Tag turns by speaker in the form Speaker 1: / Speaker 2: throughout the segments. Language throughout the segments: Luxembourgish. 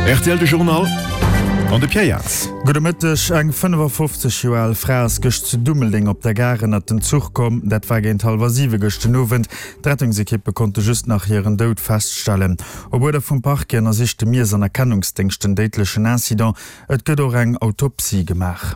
Speaker 1: Rtl De Journal an de Pierre Jaerts.
Speaker 2: Gudde Mëtteg. Eng 55 Joer al Fra ass gëscht zu Dummeldeng op der Gare ënnert den Zuch komm. Dat war géint hallwer siwe gëscht den Owend. D'Rettungsekippe konnte just nach hiren Doud feststellen. Op Uerder vum Parquet ënnersicht de Miess an Erkennungsdéngscht den déidlechen Incident. Et gëtt och eng Autopsie gemaach.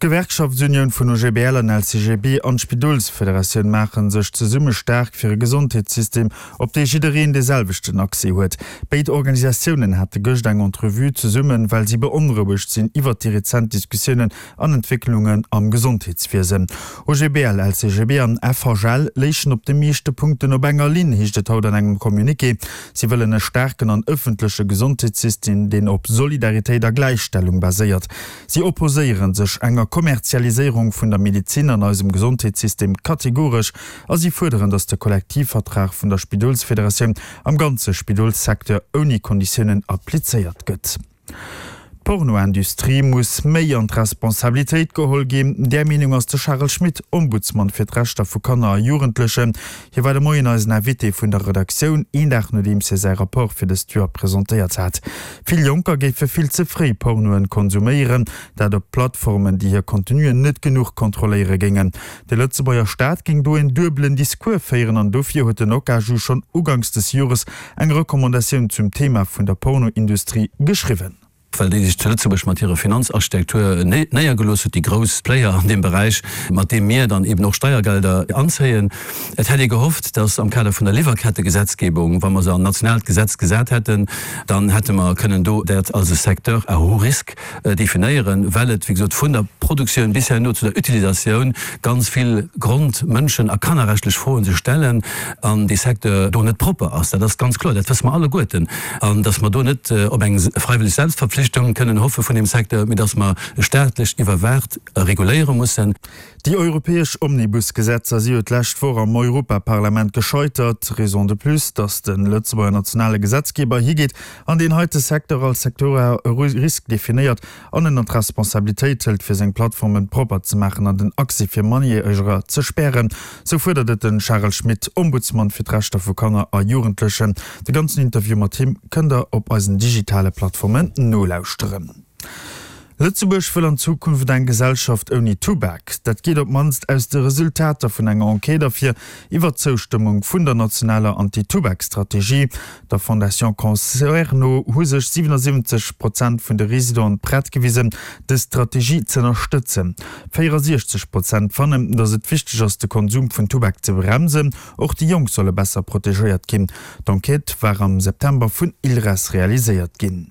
Speaker 2: D'Gewerkschaftsunioun vun OGBL an LCGB an d'Spidolsfederatioun maache sech zesumme staark fir e Gesondheetssystem, op dee jiddereen dee selwechten Accès huet. Béid Organisatiounen hate gëscht eng Entrevue zesummen, well si beonrouegt sinn iwwert déi rezent Diskussiounen an Entwécklungen am Gesondheetswiesen. OGBL, LCGB an FHL léichen op de meeschte Punkten op enger Linn, heescht et haut an engem Communiqué. Si wëllen e staarken an ëffentleche Gesondheetssystem, deen op Solidaritéit a Gläichstellung baséiert. Si opposéiere sech enger Kommerzialiséierung vun der Medezin an eisem Gesondheetssystem kategoresch a si fuerderen, datt de Kollektivvertrag vun der Spidolsfederatioun am ganze Spidolssecteur ouni Konditiounen applizéiert gëtt. D'Pornoindustrie muss méi an d'Responsabilitéit geholl ginn. Där Meenung ass de Charel Schmit, Ombudsman fir d'Rechter vu Kanner a Jugendlechen. Hie war de Moien eisen Invité vun der Redaktioun, een Dag nodeems hie säi Rapport fir dëst Joer presentéiert hat. Vill Jonker géife vill ze fréi Pornoen konsuméieren, dat op Plattformen, déi hir Contenuen net genuch kontrolléiere géingen. De Lëtzebuerger Staat géing do en duebelen Discours féieren an dofir huet den OCAJU schonn uganks des Jores eng Recommandatioun zum Thema vun der Pornoindustrie geschriwwen.
Speaker 3: Well déi sech zu Lëtzebuerg mat hirer Finanzarchitektur néiergelooss huet, déi grouss Player an deem Beräich, mat deem mir dann eben och Steiergelder anzéien. Et hätt ee gehofft, dass am Kader vun der Liwwerkettegesetzgebung, wa mer se an nationaalt Gesetz gesat hätten, dann hätte mer kënnen do dat als e Secteur à haut risque definéieren, well et, wéi gesot, vun der Produktioun bis herno zu der Utilisatioun ganz vill Grond-, Mënschen a kannerrechtlech Froen sech stellen an dee Secteur do net propper ass. Dat ass ganz kloer, dat wësse mer alleguerten. An dass mer do net op eng freiwilleg Selbstverpflichtung kënnen hoffe vun deem Secteur, mee dass mer staatlech iwwerwaacht reguléiere mussen.
Speaker 2: Déi europäesch Omnibus-Gesetzer si jo d'lescht Woch am Europaparlament gescheitert. Raison de plus, datt de Lëtzebuerger nationale Gesetzgeber higeet an deen heite Secteur als Secteur à risque definéiert an en an d'Responsabilitéit hëlt fir seng Plattformen propper ze maachen an den Accès fir Mannerjäreger ze spären. Sou fuerdert et de Charel Schmit, Ombudsman fir d'Rechter vu Kanner a Jugendlechen. De ganzen Interview mat him kënnt der op eisen digitale Plattformen nolauschteren. Lëtzebuerg wëll an Zukunft eng Gesellschaft ouni Tubak. Dat geet op d'mannst aus de Resultater vun enger Enquête ervir iwwer d'Zoustëmmung vun der nationaler Anti-Tubak-Strategie. Der Fondation Cancer no hu sech 77 Prozent vun de Residenten prett gewisen, dës Strategie z'ënnerstëtzen. 64 Prozent fannen, datt et wichteg ass, de Konsum vun Tubak ze bremsen. Och déi Jonk solle besser protegéiert ginn. D'Enquête war am September vun ILRES realiséiert ginn.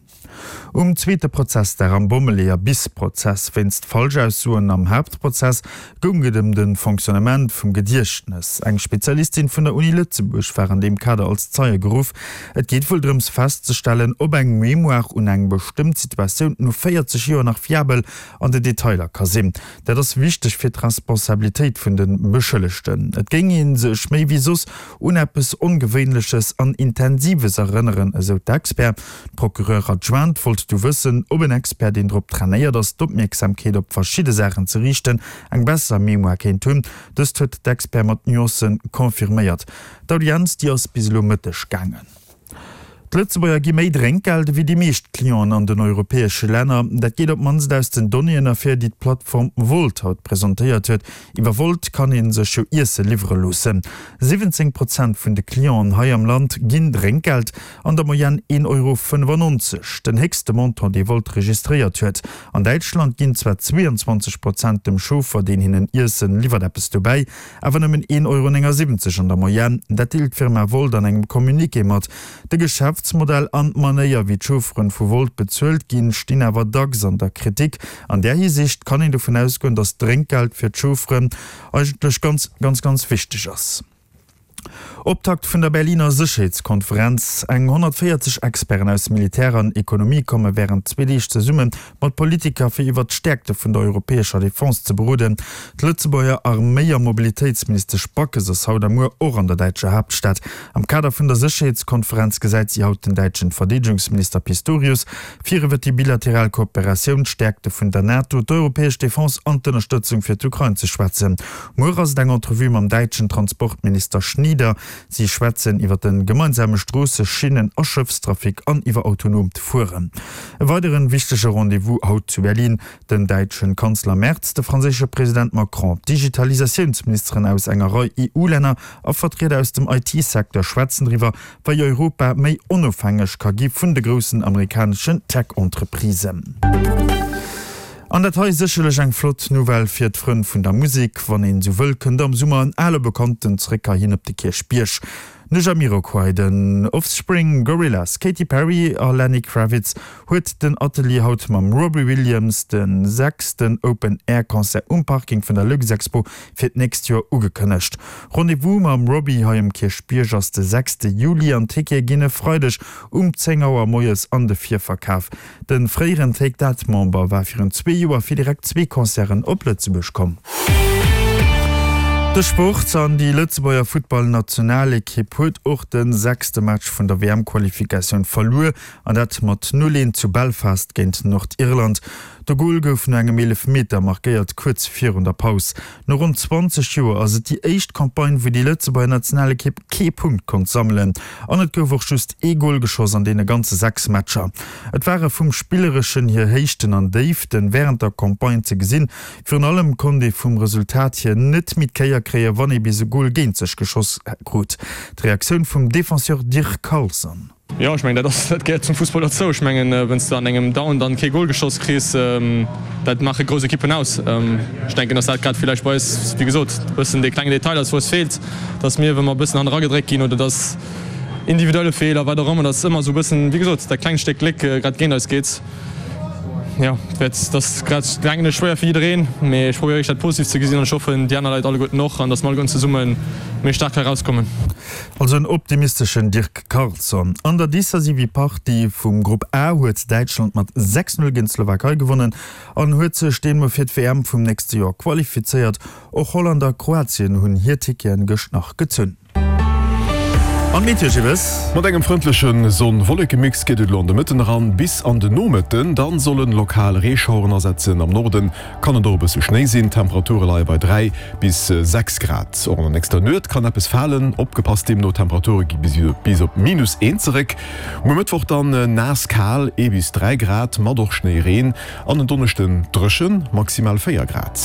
Speaker 2: Um zweete Prozessdag am Bommeleeër-Bis-Prozess wéinst Falschaussoen am Haaptprozess goung et ëm de Fonctionnement vum Gediechtnes. Eng Spezialistin vun der Uni Lëtzebuerg war an deem Kader als Zeie geruff. Et geet wuel drëms festzestellen, ob eng Mémoire un eng bestëmmt Situatioun no 40 Joer nach fiabel an de Detailer ka sinn. Dat ass wichteg fir d'Responsabilitéit vun de Beschëllegten. Et géing ee sech méi wéi soss un eppes Ongewéinleches an Intensives erënneren, esou d'Expert. D'Procureure adjointe wollt du wëssen, ob en Expert, deen drop trainéiert ass, d'Opmierksamkeet op verschidde Saachen ze riichten, eng besser Mémoire kéint hunn. Dëst huet d'Expert mat Nuancen confirméiert. D'Audienz, déi ass bis elo Mëtteg gaangen. D'Lëtzebuerger gi méi Drénkgeld ewéi déi meescht Clienten an den europäesche Länner. Dat geet op d'mannst aus den Donnéeën ervir, déi d'Plattform Wolt haut presentéiert huet. Iwwer Wolt kann ee sech jo Iesse liwwere loossen. 17 Prozent vun de Clienten hei am Land ginn Drénkgeld, an der Moyenne 1,95 Euro, den héchste Montant, dee Wolt registréiert huet. An Däitschland ginn zwar 22 Prozent dem Chauffer, deen hinnen Iessen liwwert, eppes dobäi, Awer nëmmen 1,79 Euro an der Moyenne, dat deelt d'Firma Wolt an engem Communiqué mat. De Geschäftsmodell an d'Manéier, wéi d'Chaufferen vu Wolt bezuelt ginn, stinn awer dacks an der Kritik. An där Hisiicht kann een dovun ausgoen, datt d'Drénkgeld fir d'Chaufferen eigentlech ganz, ganz, ganz wichteg ass. Optakt vun der Berliner Sécherheetskonferenz, Eng 140 Experten aus Militär an Ekonomie komme wärend zwee Deeg zesumme mat Politiker, fir iwwert d'Stäerkte vun der europäescher Defense ze beroden. D'Lëtzebuerger Arméi a Mobilitéitsministesch Backes ass haut a muer och an der däitscher Haaptstad. Am Kader vun der Sécherheetskonferenz gesäit si haut den däitschen Verdeedegungsminister Pistorius fir iwwer déi bilateral Kooperatioun, d'Stäerkte vun der NATO, d'europäesch Defense an d'Ënnerstëtzung fir d'Ukrain ze schwätzen. Muer ass et eng Entrevue mam däitschen Transportminister Schnie. Leader. Si schwätzen iwwer de gemeinsame Stroosse-, Schinnen a Schëffstrafic an iwwer autonoomt Fueren. E weideren wichtege Rendez-vous haut zu Berlin, Den däitschen Kanzler Merz, de franséische President Macron, d'Digitalisatiounsministeren aus enger Rei EU-Länner a Vertrieder aus dem IT-Secteur schwätzen driwwer, wei Europa méi onofhängeg ka gi vun de groussen amerikaneschen Tech-Entreprisen. An dat hei sécherlech eng flott Nouvelle fir d'Frënn vun der Musek. Wann een esou wëll, kënnt am Summer en ale Bekannten zeréck heihin op de Kierchbierg. De Jamiroquai, den Offspring, Gorillaz, Katy Perry a Lenny Kravitz huet den Atelier haut mam Robbie Williams de sechsten Open Air Concert um Parking vun der Luxexpo fir d'nächst Joer ugekënnegt. Rendez-vous mam Robbie hei um Kierchbierg ass de sechste Juli an d'Tickete ginn e Freideg um 10 Auer moies an de Virverkaf. De fréieren Take That Member war virun zwee Joer fir direkt zwee Concerten op Lëtzebuerg komm. De Sport an déi Lëtzebuerger Futtballnationalekipp huet och de sechste Match vun der WM-Qualifikatioun verluer an dat mat 0, 1 zu Belfast géint Nordirland. De Gol gouf no engem Eelefmeter markéiert kuerz virun der Paus. No ronn 20 Joer ass et déi éischt Campagne, wou déi Lëtzebuerger Nationalekipp kee Punkt konnt sammelen. An et gouf och just ee Gol geschoss an deene ganze 6 Matcher. Et ware vum Spillereschen hier Héichten an Déiften wärend der Campagne ze gesinn. Virun allem konnt ee vum Resultat hier net méi d'Kéier kréien, wann ee bis e Gol géint sech geschoss krut. D'Reaktioun vum Defenseur Dirk Carlson.
Speaker 4: Jo, ech mengen, dat ass, dat gehéiert zum Fussball dozou. Ech mengen, wann s de an engem Down dann kee Gol geschoss kriss, dat maache grouss Ekippen aus. Ech denken, dass dat grad villäicht bei eis, wéi gesot, e bëssen dee klengen Detail ass, wou es feelt, dass mir, wa mer e bëssen hanne ragedréckt ginn oder dass individuelle Feeler, wat och ëmmer, dass ëmmer esou e bëssen, wéi gesot, dat klengt Stéck Gléck grad géint eis geet. Jo, et ass grad, denken ech, schwéier fir jiddereen, mee ech probéiere wierklech dat positiv ze gesinn an ech hoffen déi aner Leit alleguerten och an datt mer alleguerten zesumme méi staark hei erauskommen.
Speaker 2: Also en optimisteschen Dirk Carlson. An der decisive Partie vum Grupp A huet Däitschland mat 6, 0 géint d'Slowakei gewonnen an huet sech deemno fir d'WM vum nächste Joer qualifizéiert. Och Holland a Kroatien hunn hir Ticketen gëscht nach gezunn. An d'Meteo, Gilles?
Speaker 1: Mat engem frëndleche Sonn-Wolleke-Mix geet et elo an de Mëtten eran bis an de Nomëtten. Dann sollen lokal Reeschaueren asetzen. Am Norden kann et och e bësse Schnéi sinn. D'Temperature leie bei 3 bis 6 Grad. Och an der nächster Nuet kann eppes falen, opgepasst deemno, d'Temperature gi bis op minus 1 zeréck. Muer Mëttwoch dann naass kal, 1 bis 3 Grad, mat och Schnéi, Reen an en Donneschden dréchen, maximal 4 Grad.